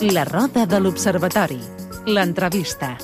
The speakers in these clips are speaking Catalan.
La roda de l'Observatori. L'entrevista.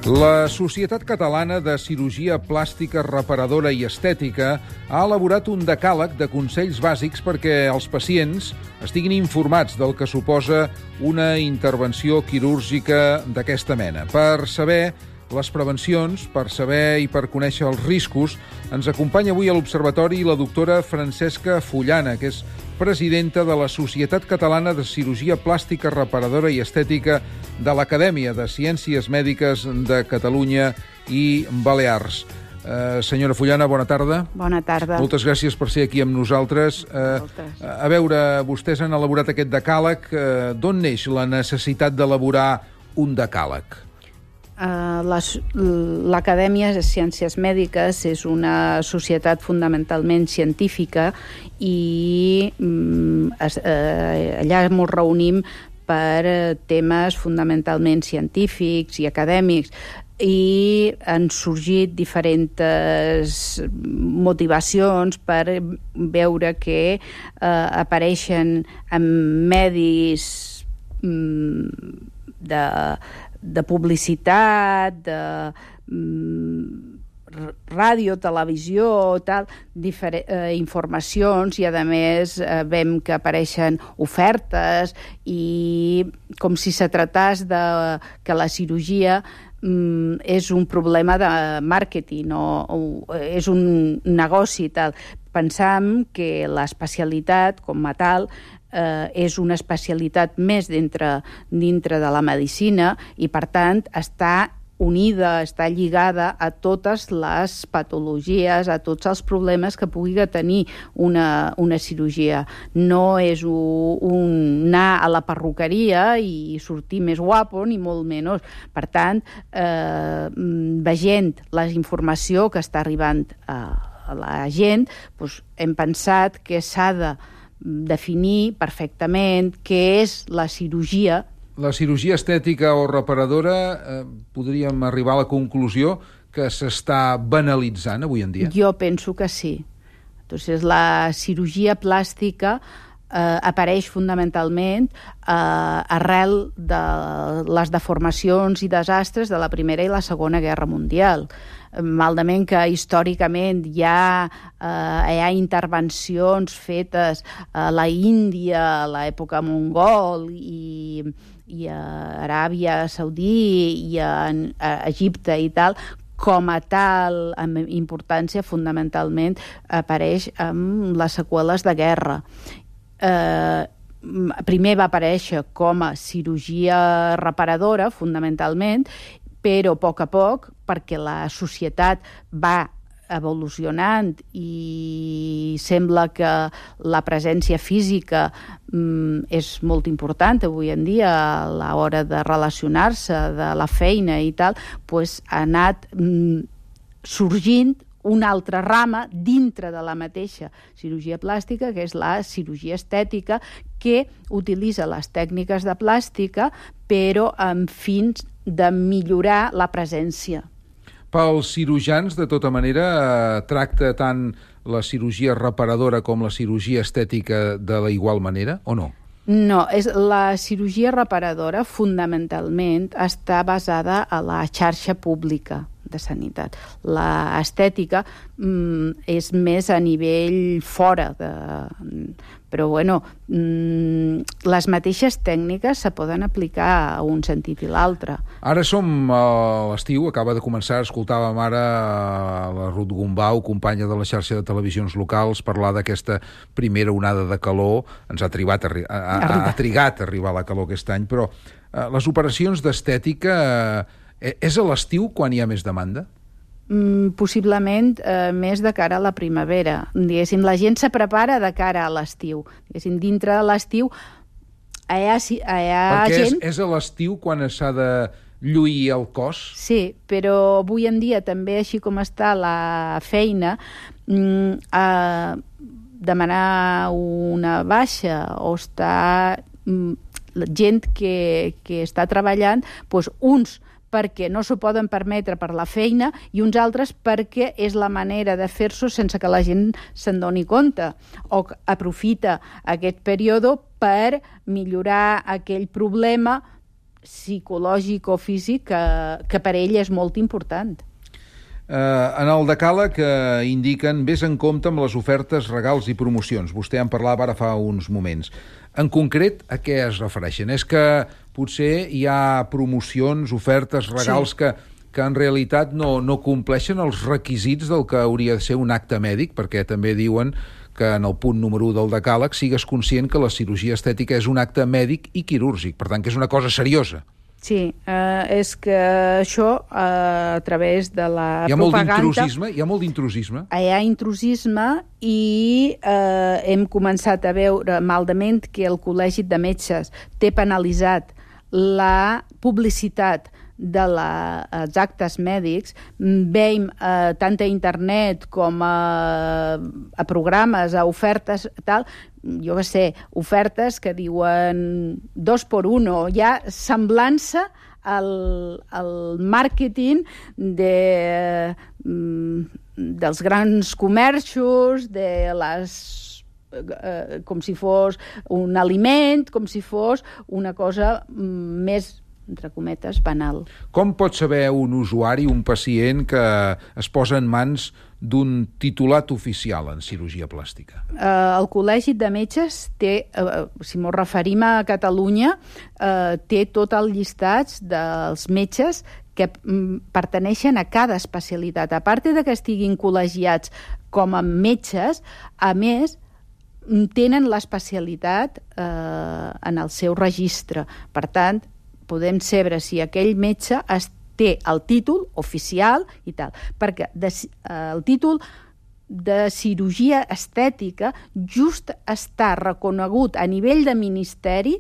La Societat Catalana de Cirurgia Plàstica Reparadora i Estètica ha elaborat un decàleg de consells bàsics perquè els pacients estiguin informats del que suposa una intervenció quirúrgica d'aquesta mena. Per saber les prevencions, per saber i per conèixer els riscos, ens acompanya avui a l'Observatori la doctora Francesca Fullana, que és presidenta de la Societat Catalana de Cirurgia Plàstica Reparadora i Estètica de l'Acadèmia de Ciències Mèdiques de Catalunya i Balears. Senyora Fullana, bona tarda. Bona tarda. Moltes gràcies per ser aquí amb nosaltres. A veure, vostès han elaborat aquest decàleg. D'on neix la necessitat d'elaborar un decàleg? L'Acadèmia de Ciències Mèdiques és una societat fonamentalment científica i allà ens reunim per temes fonamentalment científics i acadèmics i han sorgit diferents motivacions per veure que apareixen en medis de publicitat, de ràdio, televisió, tal, informacions, i a més veiem que apareixen ofertes i com si se tractés de que la cirurgia és un problema de màrqueting o és un negoci, tal. Pensam que l'especialitat com a tal és una especialitat més dintre de la medicina i, per tant, està unida, està lligada a totes les patologies, a tots els problemes que pugui tenir una cirurgia. No és anar a la perruqueria i sortir més guapo, ni molt menys. Per tant, veient la informació que està arribant a la gent, doncs hem pensat que s'ha de definir perfectament què és la cirurgia. La cirurgia estètica o reparadora, podríem arribar a la conclusió que s'està banalitzant avui en dia? Jo penso que sí. Entonces, la cirurgia plàstica apareix fonamentalment arrel de les deformacions i desastres de la Primera i la Segona Guerra Mundial. Malament que històricament hi ha intervencions fetes a la Índia, a l'època mongol i a Aràbia Saudí i a Egipte i tal, com a tal, amb importància, fonamentalment apareix amb les seqüeles de guerra. Primer va aparèixer com a cirurgia reparadora, fonamentalment, però a poc, perquè la societat va evolucionant i sembla que la presència física és molt important avui en dia a l'hora de relacionar-se, de la feina i tal, doncs ha anat sorgint una altra rama dintre de la mateixa cirurgia plàstica, que és la cirurgia estètica, que utilitza les tècniques de plàstica, però amb fins de millorar la presència. Pels cirurgians, de tota manera, tracta tant la cirurgia reparadora com la cirurgia estètica de la igual manera, o no? No, la cirurgia reparadora fonamentalment està basada a la xarxa pública de sanitat. L'estètica és més a nivell fora però bueno, les mateixes tècniques se poden aplicar a un sentit i l'altre. Ara som a l'estiu, acaba de començar, escoltàvem ara la Ruth Gombau, companya de la xarxa de televisions locals, parlar d'aquesta primera onada de calor. Ens ha trigat a arribar la calor aquest any, però les operacions d'estètica és a l'estiu quan hi ha més demanda? Possiblement més de cara a la primavera. Diguéssim, la gent se prepara de cara a l'estiu. Diguéssim, dintre de l'estiu hi ha perquè gent... és a l'estiu quan s'ha de lluir el cos? Sí, però avui en dia també, així com està la feina, demanar una baixa o estar gent que està treballant, doncs uns perquè no s'ho poden permetre per la feina i uns altres perquè és la manera de fer-s'ho sense que la gent se'n doni compte o aprofita aquest període per millorar aquell problema psicològic o físic que per ell és molt important. En el decàleg indiquen vés en compte amb les ofertes, regals i promocions. Vostè en parlava ara fa uns moments. En concret, a què es refereixen? És que potser hi ha promocions, ofertes, regals que en realitat no compleixen els requisits del que hauria de ser un acte mèdic, perquè també diuen que en el punt número 1 del decàleg sigues conscient que la cirurgia estètica és un acte mèdic i quirúrgic, per tant que és una cosa seriosa. Sí, és que això a través de la propaganda... Hi ha molt d'intrusisme? Hi ha intrusisme i hem començat a veure malament que el Col·legi de Metges té penalitzat la publicitat dels actes mèdics. Veiem tant a internet com a programes, a ofertes, tal, jo què sé, ofertes que diuen 2 por 1, ja semblant-se al màrqueting dels grans comerços, com si fos un aliment, com si fos una cosa més, entre cometes, banal. Com pot saber un usuari, un pacient, que es posa en mans d'un titulat oficial en cirurgia plàstica? El Col·legi de Metges té, si ens referim a Catalunya, té tot el llistat dels metges que pertaneixen a cada especialitat. A part de que estiguin col·legiats com a metges, a més, tenen l'especialitat en el seu registre. Per tant, podem saber si aquell metge té el títol oficial i tal, perquè el títol de cirurgia estètica just està reconegut a nivell de ministeri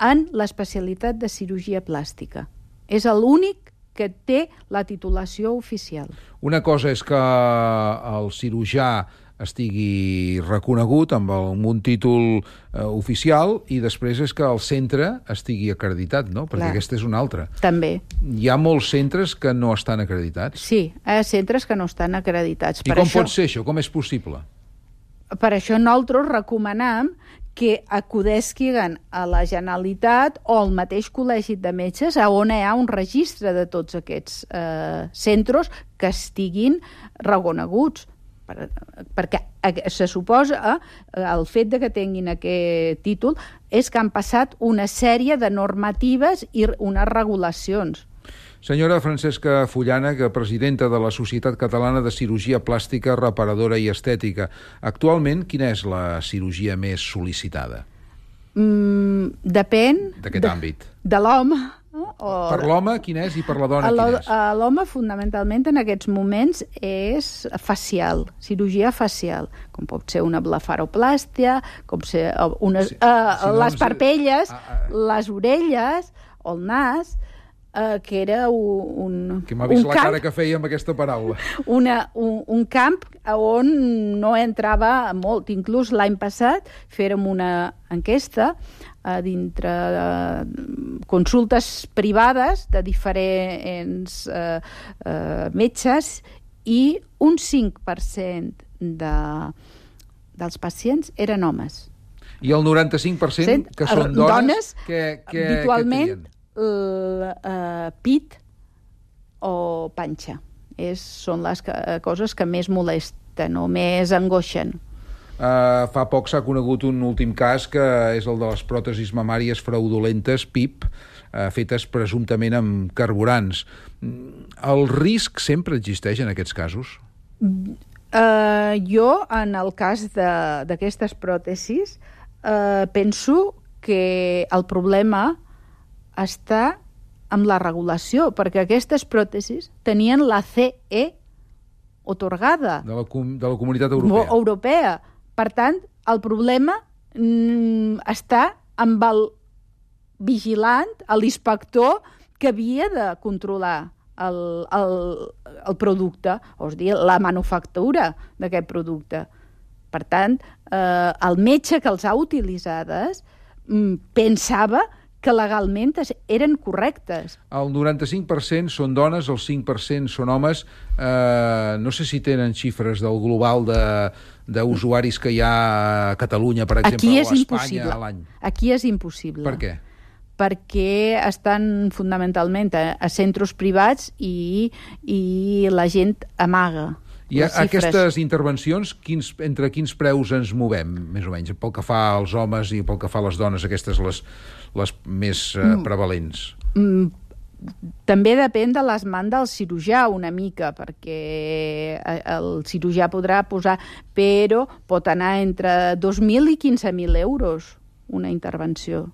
en l'especialitat de cirurgia plàstica. És l'únic que té la titulació oficial. Una cosa és que el cirurgià estigui reconegut amb un títol oficial i després és que el centre estigui acreditat, no? Perquè aquesta és una altra. També. Hi ha molts centres que no estan acreditats? Sí, hi ha centres que no estan acreditats. I com pot ser això? Com és possible? Per això nosaltres recomanem que acudisquen a la Generalitat o al mateix Col·legi de Metges on hi ha un registre de tots aquests centres que estiguin reconeguts. Perquè se suposa el fet de que tinguin aquest títol és que han passat una sèrie de normatives i unes regulacions. Senyora Francesca Fullana, que presidenta de la Societat Catalana de Cirurgia Plàstica, Reparadora i Estètica. Actualment, quina és la cirurgia més sol·licitada? Depèn... D'aquest àmbit. De l'home. Per l'home, quin és? I per la dona, quin és? L'home, fonamentalment, en aquests moments, és facial, cirurgia facial, com pot ser una blefaroplàstia, com ser les parpelles, les orelles o el nas, que era un que m'ha vist la cara que feia amb aquesta paraula. Un camp on no entrava molt. Inclús l'any passat fèrem una enquesta dintre consultes privades de diferents metges i un 5% dels pacients eren homes. I el 95% que són dones que habitualment pit o panxa. Són les coses que més molesten o més angoixen. Fa poc s'ha conegut un últim cas que és el de les pròtesis mamàries fraudulentes, PIP, fetes presumptament amb carburants. El risc sempre existeix en aquests casos? Jo, en el cas d'aquestes pròtesis, penso que el problema està amb la regulació, perquè aquestes pròtesis tenien la CE atorgada. De la Comunitat Europea. Per tant, el problema està amb el vigilant, l'inspector que havia de controlar el producte, és a dir, la manufactura d'aquest producte. Per tant, el metge que els ha utilitzades pensava que legalment eren correctes. El 95% són dones, el 5% són homes. No sé si tenen xifres del global d'usuaris que hi ha a Catalunya, per exemple, o a Espanya a l'any. Aquí és impossible. Per què? Perquè estan fonamentalment a centres privats i la gent amaga. I aquestes intervencions, entre quins preus ens movem, més o menys, pel que fa als homes i pel que fa a les dones, aquestes les més prevalents? També depèn de les mans del cirurgià una mica, perquè el cirurgià podrà posar, però pot anar entre 2.000 i 15.000 euros una intervenció.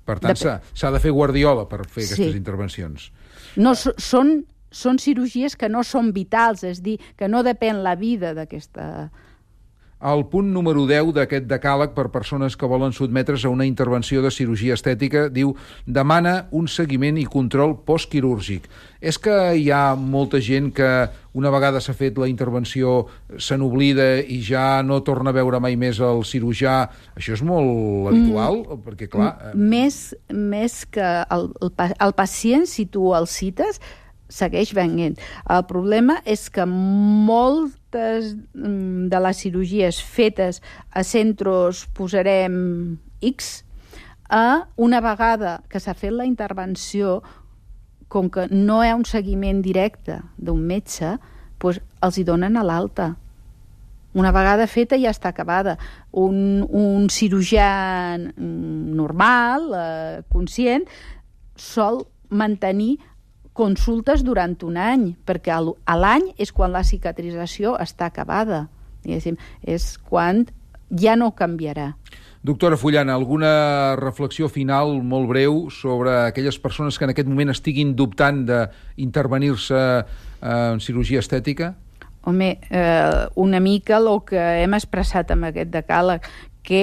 Per tant, s'ha de fer guardiola per fer aquestes intervencions. No, són cirurgies que no són vitals, és a dir, que no depèn la vida d'aquesta... El punt número 10 d'aquest decàleg per persones que volen sotmetre's a una intervenció de cirurgia estètica diu: demana un seguiment i control postquirúrgic. És que hi ha molta gent que una vegada s'ha fet la intervenció se n'oblida i ja no torna a veure mai més el cirurgià? Això és molt habitual? Perquè, clar... Més que el pacient, si tu el cites, segueix venint. El problema és que moltes de les cirurgies fetes a centres, posarem X, una vegada que s'ha fet la intervenció, com que no hi ha un seguiment directe d'un metge, doncs els hi donen a l'alta. Una vegada feta ja està acabada. Un cirurgià normal, conscient, sol mantenir consultes durant un any, perquè a l'any és quan la cicatrització està acabada. És quan ja no canviarà. Doctora Fullana, alguna reflexió final molt breu sobre aquelles persones que en aquest moment estiguin dubtant d'intervenir-se en cirurgia estètica? Home, una mica el que hem expressat amb aquest decàleg, que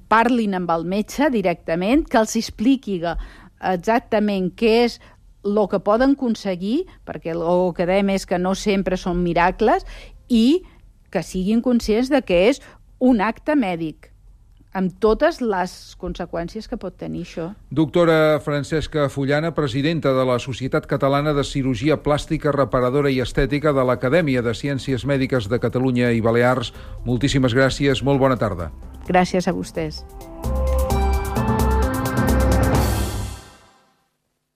parlin amb el metge directament, que els expliqui exactament què és el que poden aconseguir, perquè el que dèiem és que no sempre són miracles, i que siguin conscients de que és un acte mèdic, amb totes les conseqüències que pot tenir això. Doctora Francesca Fullana, presidenta de la Societat Catalana de Cirurgia Plàstica, Reparadora i Estètica de l'Acadèmia de Ciències Mèdiques de Catalunya i Balears, moltíssimes gràcies, molt bona tarda. Gràcies a vostès.